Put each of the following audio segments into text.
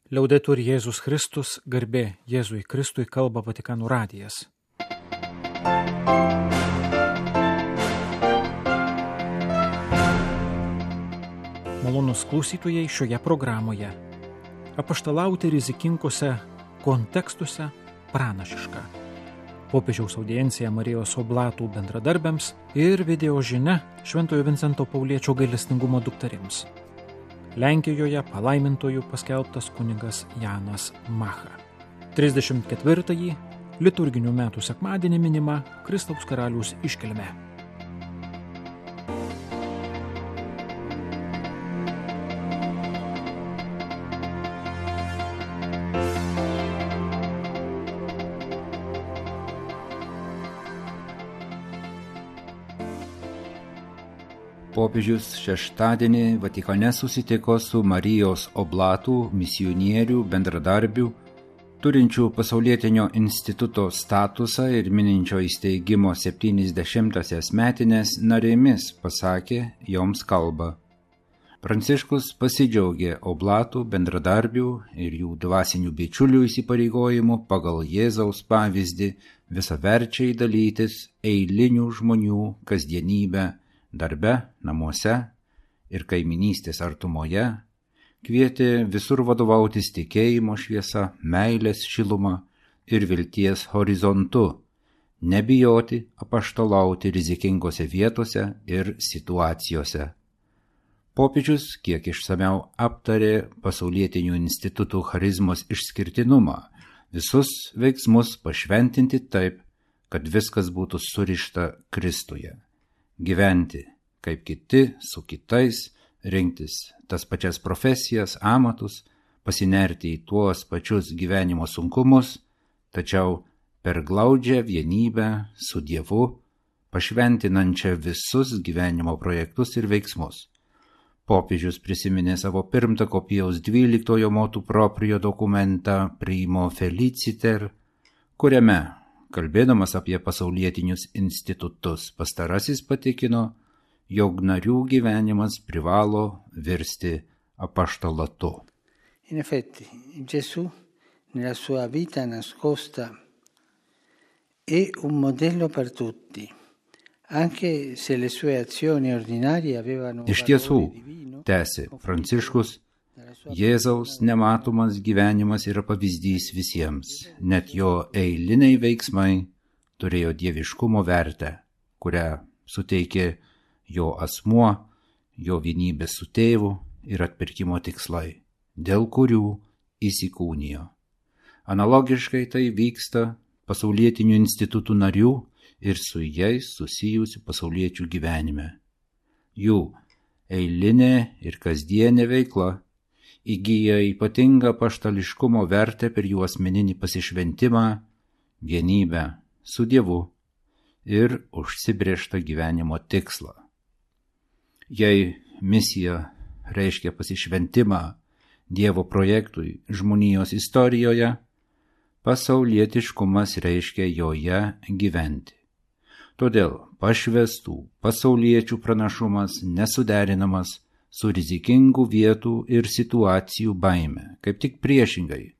Liaudetur Jėzus Kristus, garbė Jėzui Kristui, kalba Vatikano radijas. Malonūs klausytojai, šioje programoje apaštalauti rizikingose kontekstuose pranašiška. Popiežiaus audiencija Marijos oblatų bendradarbiams ir video žinia Šventojo Vincento Pauliečio gailestingumo dukterims. Lenkijoje palaimintojų paskelbtas kunigas Janas Macha. 34-ąjį liturginių metų sekmadienį minima Kristaus karaliaus iškilmė. Popiežius šeštadienį Vatikane susitiko su Marijos oblatų misionierių bendradarbių, turinčių pasaulietinio instituto statusą ir mininčio įsteigimo 70-asias metines narėmis, pasakė joms kalbą. Pranciškus pasidžiaugė oblatų bendradarbių ir jų dvasinių bičiulių įsipareigojimu pagal Jėzaus pavyzdį visaverčiai dalytis eilinių žmonių kasdienybę, darbe, namuose ir kaiminystės artumoje, kvietė visur vadovautis tikėjimo šviesa, meilės šiluma ir vilties horizontu, nebijoti apaštalauti rizikingose vietose ir situacijose. Popiežius kiek išsamiau aptarė pasaulietinių institutų charizmos išskirtinumą, visus veiksmus pašventinti taip, kad viskas būtų surišta Kristuje. Gyventi kaip kiti su kitais, rinktis tas pačias profesijas, amatus, pasinerti į tuos pačius gyvenimo sunkumus, tačiau per glaudžią vienybę su Dievu, pašventinančią visus gyvenimo projektus ir veiksmus. Popiežius prisiminė savo pirmtako Pijaus XII motu proprio dokumentą Primo Feliciter, kuriame, kalbėdamas apie pasaulietinius institutus, pastarasis patikino, jog narių gyvenimas privalo virsti apaštalatu. In effetti, Gesù, nella sua vita nascosta, è un modello per tutti, anche se le sue azioni ordinarie avevano Iš tiesų, valore divino, tęsė Pranciškus, Jėzaus nematomas gyvenimas yra pavyzdys visiems, net jo eiliniai veiksmai turėjo dieviškumo vertę, kurią suteikė jo asmuo, jo vienybė su tėvu ir atpirkimo tikslai, dėl kurių įsikūnijo. Analogiškai tai vyksta pasaulietinių institutų narių ir su jais susijusių pasauliečių gyvenime. Jų eilinė ir kasdienė veikla įgyja ypatingą apaštališkumo vertę per jų asmeninį pasišventimą, vienybę su Dievu ir užsibrėžtą gyvenimo tikslą. Jei misija reiškia pasišventimą Dievo projektui žmonijos istorijoje, pasaulietiškumas reiškia joje gyventi. Todėl pašvestų pasauliečių pranašumas nesuderinamas su rizikingų vietų ir situacijų baime, kaip tik priešingai,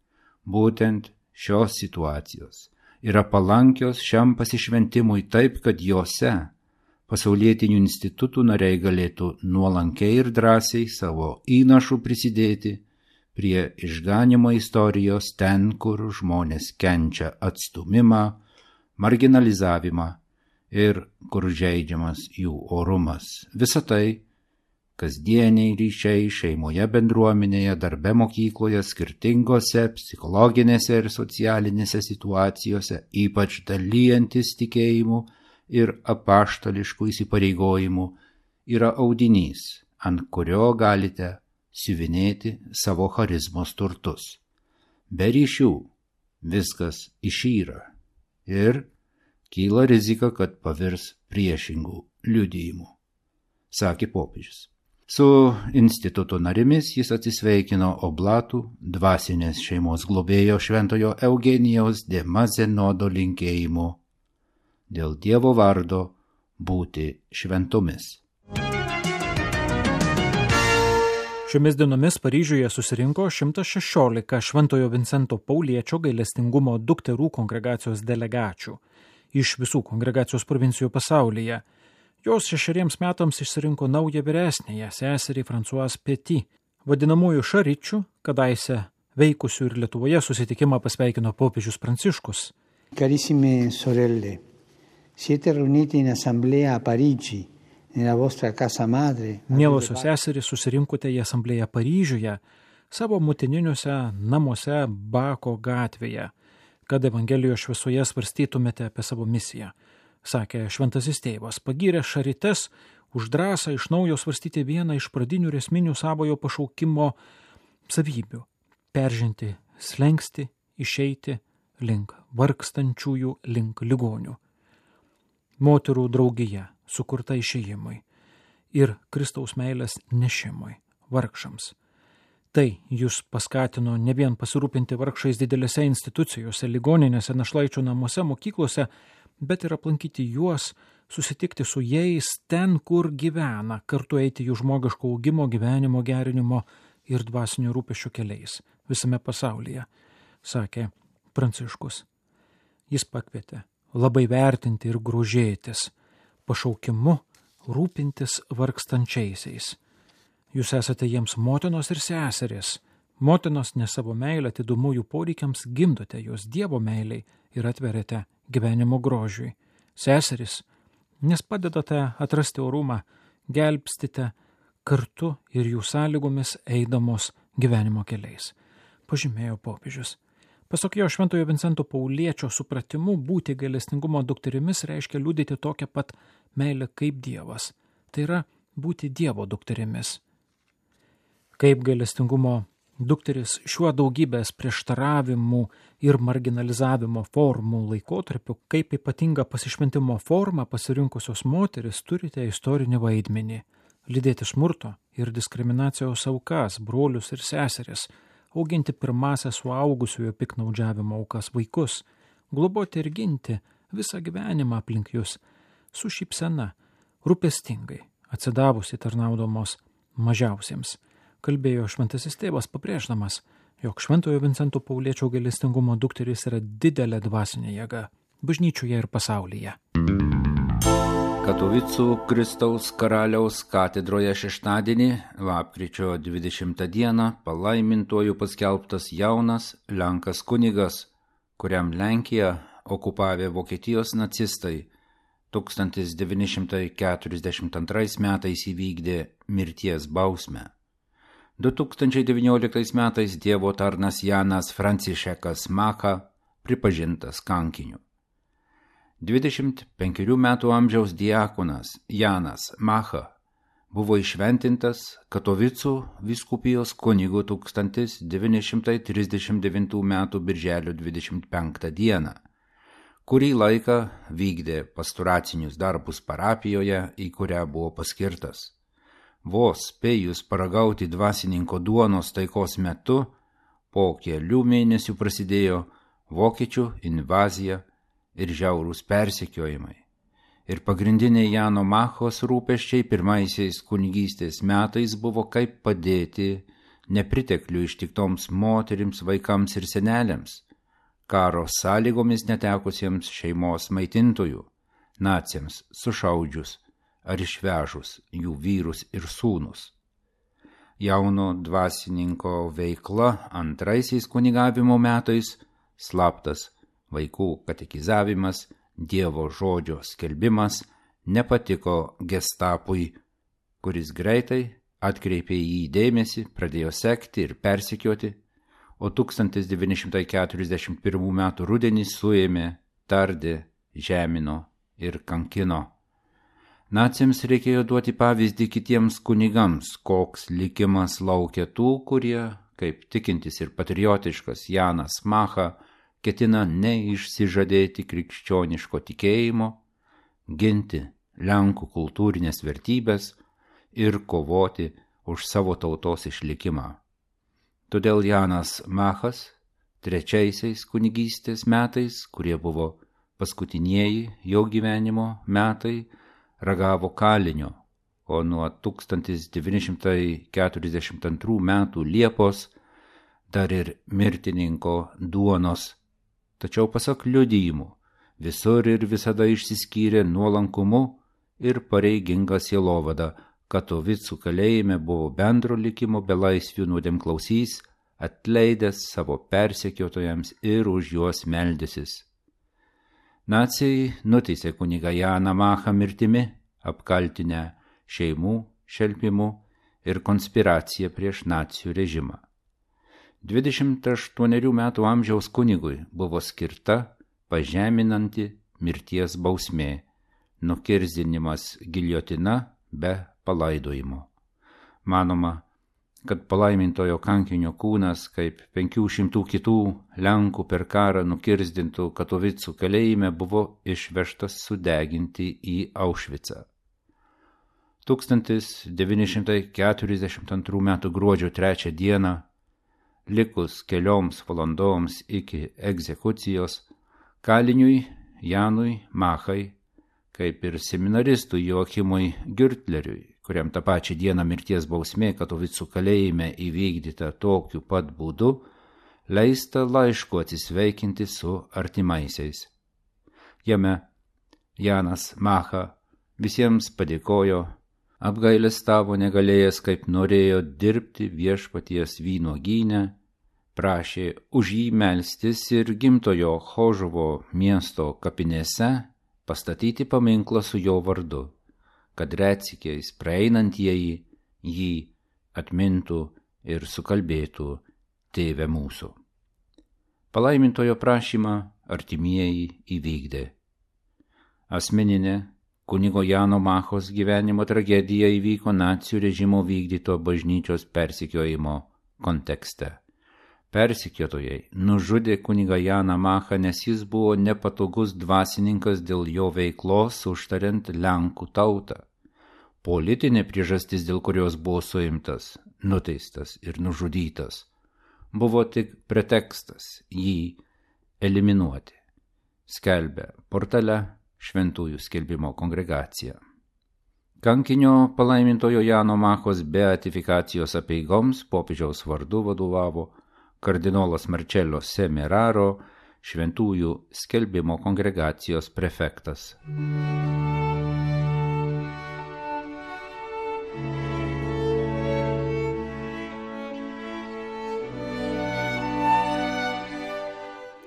būtent šios situacijos yra palankios šiam pasišventimui taip, kad jose pasaulietinių institutų nariai galėtų nuolankiai ir drąsiai savo įnašų prisidėti prie išganimo istorijos ten, kur žmonės kenčia atstumimą, marginalizavimą ir kur žeidžiamas jų orumas. Visa tai kasdieniai ryšiai šeimoje, bendruomenėje, darbe, mokykloje, skirtingose psichologinėse ir socialinėse situacijose, ypač dalyjantis tikėjimu ir apaštališkų įsipareigojimų, yra audinys, ant kurio galite siuvinėti savo charizmos turtus. Be ryšių viskas išyra ir kyla rizika, kad pavirs priešingų liudijimų, sakė popiežius. Su instituto narimis jis atsisveikino oblatų dvasinės šeimos globėjo šventojo Eugenijaus de Mazenodo linkėjimu dėl Dievo vardo būti šventomis. Šiomis dienomis Paryžiuje susirinko 116 Šventojo Vincento Pauliečio gailestingumo dukterų kongregacijos delegačių iš visų kongregacijos provincijų pasaulyje. Jos 6 metams išsirinko naują vyresnėją seserį Françoise Petit, vadinamųjų šaričių, kadaise veikusių ir Lietuvoje susitikimą pasveikino popiežius Pranciškus. Carissime sorelle, siete riuniti in assemblea a Parigi, nella vostra casa madre. Mielosios seserys, susirinkote į asamblėją Paryžiuje, savo motininiuose namuose Bako gatvėje, kad Evangelijos šviesoje svarstytumėte apie savo misiją, sakė šventasis tėvas, pagyrė šarites už drąsą iš naujo svarstyti vieną iš pradinių ir esminių savojo pašaukimo savybių – peržengti slenkstį, išeiti link vargstančiųjų, link ligonių. Moterų draugija sukurta išėjimui ir Kristaus meilės nešimui vargšams. Tai jūs paskatino ne vien pasirūpinti vargšais didelėse institucijose, ligoninėse, našlaičių namuose, mokyklose, bet ir aplankyti juos, susitikti su jais ten, kur gyvena, kartu eiti jų žmogiško augimo, gyvenimo gerinimo ir dvasinio rūpesčio keliais visame pasaulyje, sakė Pranciškus. Jis pakvietė labai vertinti ir grožėtis pašaukimu rūpintis vargstančiaisiais. Jūs esate jiems motinos ir seserys. Motinos ne savo meilę atidumu jų poreikiams gimdote jos Dievo meiliai ir atveriate gyvenimo grožiui. Seserys, nes padedate atrasti orumą, gelbstite kartu ir jų sąlygomis eidamos gyvenimo keliais, pažymėjo popiežius. Pasak jo Šventojo Vincento Pauliečio supratimu, būti gailestingumo dukterimis reiškia liudyti tokią pat meilę kaip Dievas. Tai yra būti Dievo dukterimis. Kaip gailestingumo dukteris šiuo daugybės prieštaravimų ir marginalizavimo formų laikotarpiu, kaip ypatinga pasišventimo formą pasirinkusios moteris turite istorinį vaidmenį – lydėti smurto ir diskriminacijos aukas, brolius ir seseris, auginti pirmąsias suaugusiojo piknaudžiavimo aukas vaikus, globoti ir ginti visą gyvenimą aplink jūs, su šypsena, rūpestingai, atsidavusi tarnaudamos mažiausiems, kalbėjo šventasis tėvas pabrėždamas, jog Šventojo Vincento Pauliečio gailestingumo dukteris yra didelė dvasinė jėga bažnyčioje ir pasaulyje. Katovicų Kristaus karaliaus katedroje šeštadienį, lapkričio 20 dieną, palaimintuoju paskelbtas jaunas lenkas kunigas, kuriam Lenkiją okupavę Vokietijos nacistai 1942 metais įvykdė mirties bausmę. 2019 metais Dievo tarnas Janas Francišekas Macha pripažintas kankiniu. 25 metų amžiaus diakonas Janas Macha buvo įšventintas Katovicų vyskupijos kunigu 1939 metų birželio 25 dieną. Kurį laiką vykdė pastoracinius darbus parapijoje, į kurią buvo paskirtas. Vos spėjus paragauti dvasininko duonos taikos metu, po kelių mėnesių prasidėjo vokiečių invazija ir žiaurūs persekiojimai. Ir pagrindiniai Jano Machos rūpesčiai pirmaisiais kunigystės metais buvo kaip padėti nepriteklių ištiktoms moterims, vaikams ir seneliams, karo sąlygomis netekusiems šeimos maitintojų, naciams sušaudžius ar išvežus jų vyrus ir sūnus. Jauno dvasininko veikla antraisiais kunigavimo metais, slaptas vaikų katekizavimas, Dievo žodžio skelbimas nepatiko Gestapui, kuris greitai atkreipė į jį dėmesį, pradėjo sekti ir persekioti, o 1941 metų rudenį suėmė, tardė, žemino ir kankino. Naciams reikėjo duoti pavyzdį kitiems kunigams, koks likimas laukia tų, kurie, kaip tikintis ir patriotiškas Janas Macha, ketina neišsižadėti krikščioniško tikėjimo, ginti Lenkų kultūrinės vertybės ir kovoti už savo tautos išlikimą. Todėl Janas Machas trečiaisiais kunigystės metais, kurie buvo paskutinieji jo gyvenimo metai, ragavo kalinio, o nuo 1942 metų Liepos dar ir mirtininko duonos. Tačiau pasak liudijimų, visur ir visada išsiskyrė nuolankumu ir pareiginga sielovada. Katovicų kalėjime buvo bendro likimo belaisvių nuodėmklausys, atleidęs savo persekiotojams ir už juos meldęsis. Naciai nuteisė kunigą Janą Machą mirtimi, apkaltinę šeimų šelpimu ir konspiracija prieš nacių režimą. 28 metų amžiaus kunigui buvo skirta pažeminanti mirties bausmė, nukirsdinimas giljotina be palaidojimo. Manoma, kad palaimintojo kankinio kūnas, kaip 500 kitų Lenkų per karą nukirsdintų Katovicų kalėjime, buvo išvežtas sudeginti į Aušvicą. 1942 m. gruodžio 3 dieną, likus kelioms valandoms iki egzekucijos, kaliniui Janui Machai, kaip ir seminaristui Joachimui Gürtleriui, kuriam tą pačią dieną mirties bausmė Katovicų kalėjime įvykdyta tokiu pat būdu, leista laišku atsisveikinti su artimaisiais. Jame Janas Macha visiems padėkojo, apgailestavo negalėjęs, kaip norėjo dirbti viešpaties vynuogyne, prašė už jį melstis ir gimtojo Chožovo miesto kapinėse pastatyti paminklą su jo vardu, kad retsykiais praeinantieji jį atmintų ir sukalbėtų Tėve mūsų. Palaimintojo prašymą artimieji įvykdė. Asmeninė kunigo Jano Machos gyvenimo tragedija įvyko nacių režimo vykdyto bažnyčios persekiojimo kontekste. Persekiotojai nužudė kunigą Janą Machą, nes jis buvo nepatogus dvasininkas dėl jo veiklos užtariant Lenkų tautą. Politinė priežastis, dėl kurios buvo suimtas, nuteistas ir nužudytas, buvo tik pretekstas jį eliminuoti, skelbia portale Šventųjų skelbimo kongregacija. Kankinio palaimintojo Jano Machos beatifikacijos apeigoms popiežiaus vardu vadovavo kardinolas Marcello Semeraro, Šventųjų skelbimo kongregacijos prefektas.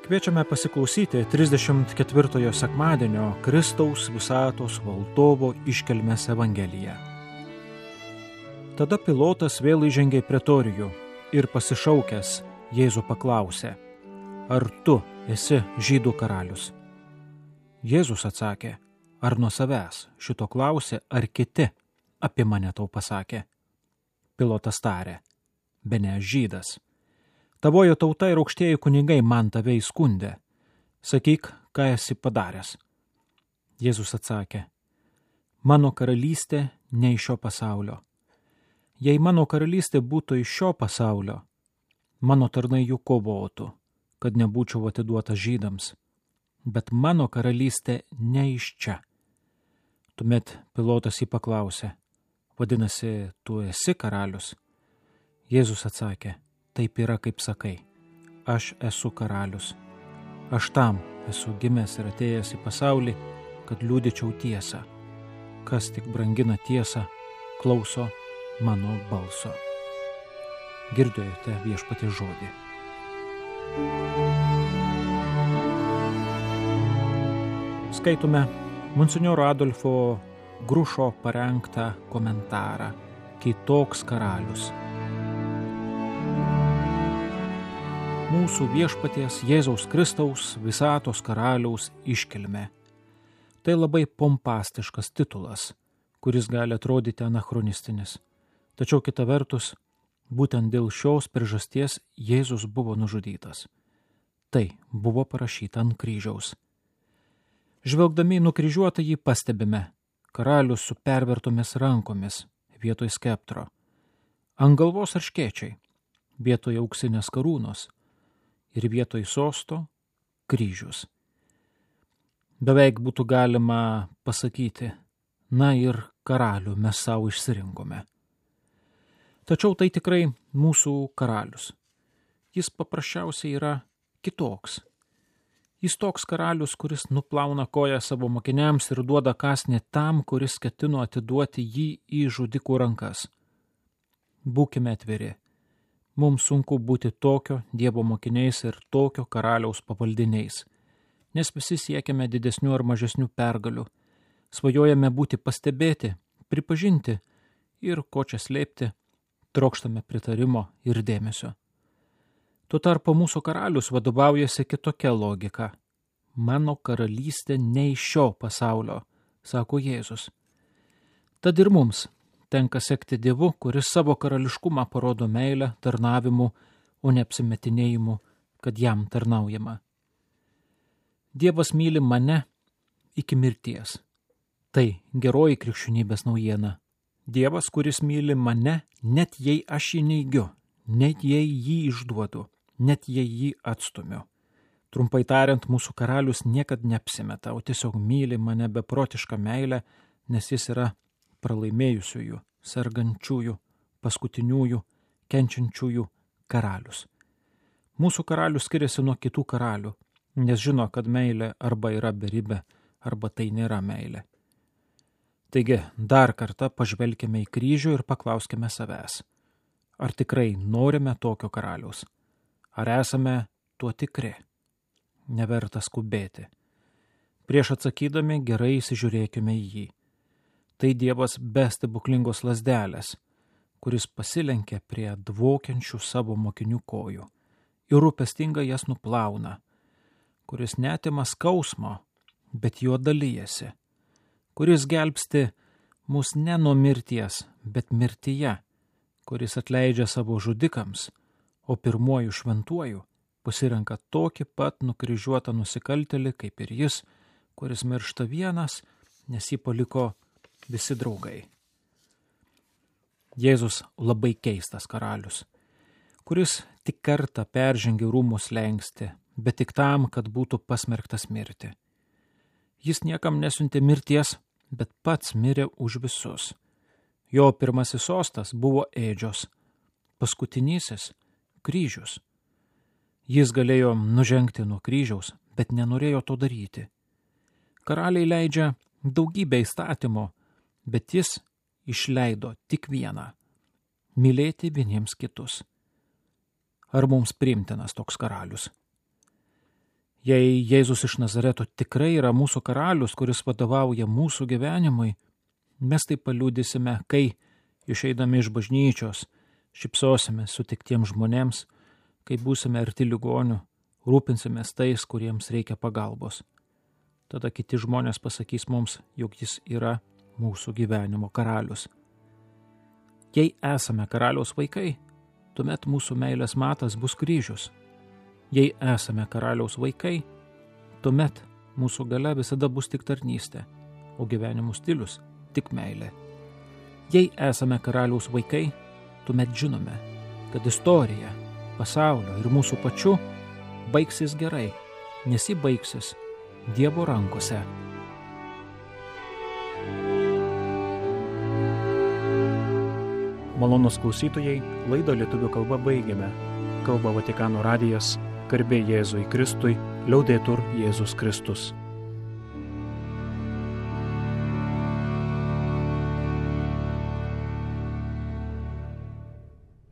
Kviečiame pasiklausyti 34 sekmadienio Kristaus visatos valdovo iškilmės evangeliją. Tada Pilotas vėl įžengė į pretorijų ir pasišaukęs Jėzų paklausė, ar tu esi žydų karalius? Jėzus atsakė, ar nuo savęs šito klausė, ar kiti apie mane tau pasakė? Pilotas tarė, bene žydas. Tavojo tauta ir aukštieji kunigai man tave įskundė. Sakyk, ką esi padaręs. Jėzus atsakė, mano karalystė ne iš šio pasaulio. Jei mano karalystė būtų iš šio pasaulio, mano tarnai jų kovotų, kad nebūčiau atiduotas žydams. Bet mano karalystė ne iš čia. Tuomet Pilotas jį paklausė, vadinasi, tu esi karalius? Jėzus atsakė, taip yra, kaip sakai, aš esu karalius. Aš tam esu gimęs ir atėjęs į pasaulį, kad liudyčiau tiesą. Kas tik brangina tiesą, klauso mano balso. Girdėjote viešpaties žodį. Skaitome monsinjoro Adolfo Grušo parengtą komentarą Kitoks karalius. Mūsų viešpaties Jėzaus Kristaus visatos karaliaus iškilmė. Tai labai pompastiškas titulas, kuris gali atrodyti anachronistinis. Tačiau kita vertus, būtent dėl šios priežasties Jėzus buvo nužudytas. Tai buvo parašyta ant kryžiaus. Žvelgdami į nukryžiuotą jį pastebime karalius su pervertomis rankomis vietoj skeptro, ant galvos arškėčiai, vietoj auksinės karūnos ir vietoj sosto kryžius. Beveik būtų galima pasakyti, Na ir karalių mes savo išsirinkome. Tačiau tai tikrai mūsų karalius. Jis paprasčiausiai yra kitoks. Jis toks karalius, kuris nuplauna koją savo mokiniams ir duoda kąsnį tam, kuris ketino atiduoti jį į žudikų rankas. Būkime atviri. Mums sunku būti tokio Dievo mokiniais ir tokio karaliaus pavaldiniais, nes visi siekiame didesnių ar mažesnių pergalių. Svajojame būti pastebėti, pripažinti ir, ko čia slėpti, trokštame pritarimo ir dėmesio. Tuo tarpu mūsų karalius vadovaujasi kitokia logika. Mano karalystė ne iš šio pasaulio, sako Jėzus. Tad ir mums tenka sekti Dievu, kuris savo karališkumą parodo meilę, tarnavimu, o ne apsimetinėjimu, kad jam tarnaujama. Dievas myli mane iki mirties. Tai geroji krikščionybės naujiena. Dievas, kuris myli mane, net jei aš jį neigiu, net jei jį išduodu, net jei jį atstumiu. Trumpai tariant, mūsų karalius niekad neapsimeta, o tiesiog myli mane beprotišką meilę, nes jis yra pralaimėjusiųjų, sergančiųjų, paskutiniųjų, kenčiančiųjų karalius. Mūsų karalius skiriasi nuo kitų karalių, nes žino, kad meilė arba yra beribė, arba tai nėra meilė. Taigi, dar kartą pažvelkime į kryžių ir paklauskime savęs. Ar tikrai norime tokio karaliaus? Ar esame tuo tikri? Neverta skubėti. Prieš atsakydami gerai įsižiūrėkime į jį. Tai Dievas be stebuklingos lazdelės, kuris pasilenkia prie dvokiančių savo mokinių kojų ir rūpestingai jas nuplauna, kuris netima skausmo, bet juo dalijasi, kuris gelbsti mus ne nuo mirties, bet mirtyje, kuris atleidžia savo žudikams, o pirmuoju šventuoju pasirenka tokį pat nukryžiuotą nusikaltėlį kaip ir jis, kuris miršta vienas, nes jį paliko visi draugai. Jėzus labai keistas karalius, kuris tik kartą peržengė rūmų slenkstį, bet tik tam, kad būtų pasmerktas mirti. Jis niekam nesiuntė mirties, bet pats mirė už visus. Jo pirmasis sostas buvo ėdžios, paskutinysis kryžius. Jis galėjo nužengti nuo kryžiaus, bet nenorėjo to daryti. Karaliai leidžia daugybę įstatymų, bet jis išleido tik vieną – mylėti vieniems kitus. Ar mums priimtinas toks karalius? Jei Jėzus iš Nazareto tikrai yra mūsų karalius, kuris vadovauja mūsų gyvenimui, mes tai paliudysime, kai, išeidami iš bažnyčios, šypsosime sutiktiems žmonėms, kai būsime arti ligonių, rūpinsimės tais, kuriems reikia pagalbos. Tada kiti žmonės pasakys mums, jog jis yra mūsų gyvenimo karalius. Jei esame karaliaus vaikai, tuomet mūsų meilės matas bus kryžius. Jei esame karaliaus vaikai, tuomet mūsų galia visada bus tik tarnystė, o gyvenimo stilius tik meilė. Jei esame karaliaus vaikai, tuomet žinome, kad istorija, pasaulio ir mūsų pačių baigsis gerai, nes ji baigsis Dievo rankose. Malonūs klausytojai, laidą lietuvių kalba baigėme. Kalba Vatikano radijas, garbė Jėzui Kristui, liaudetur Jėzus Kristus.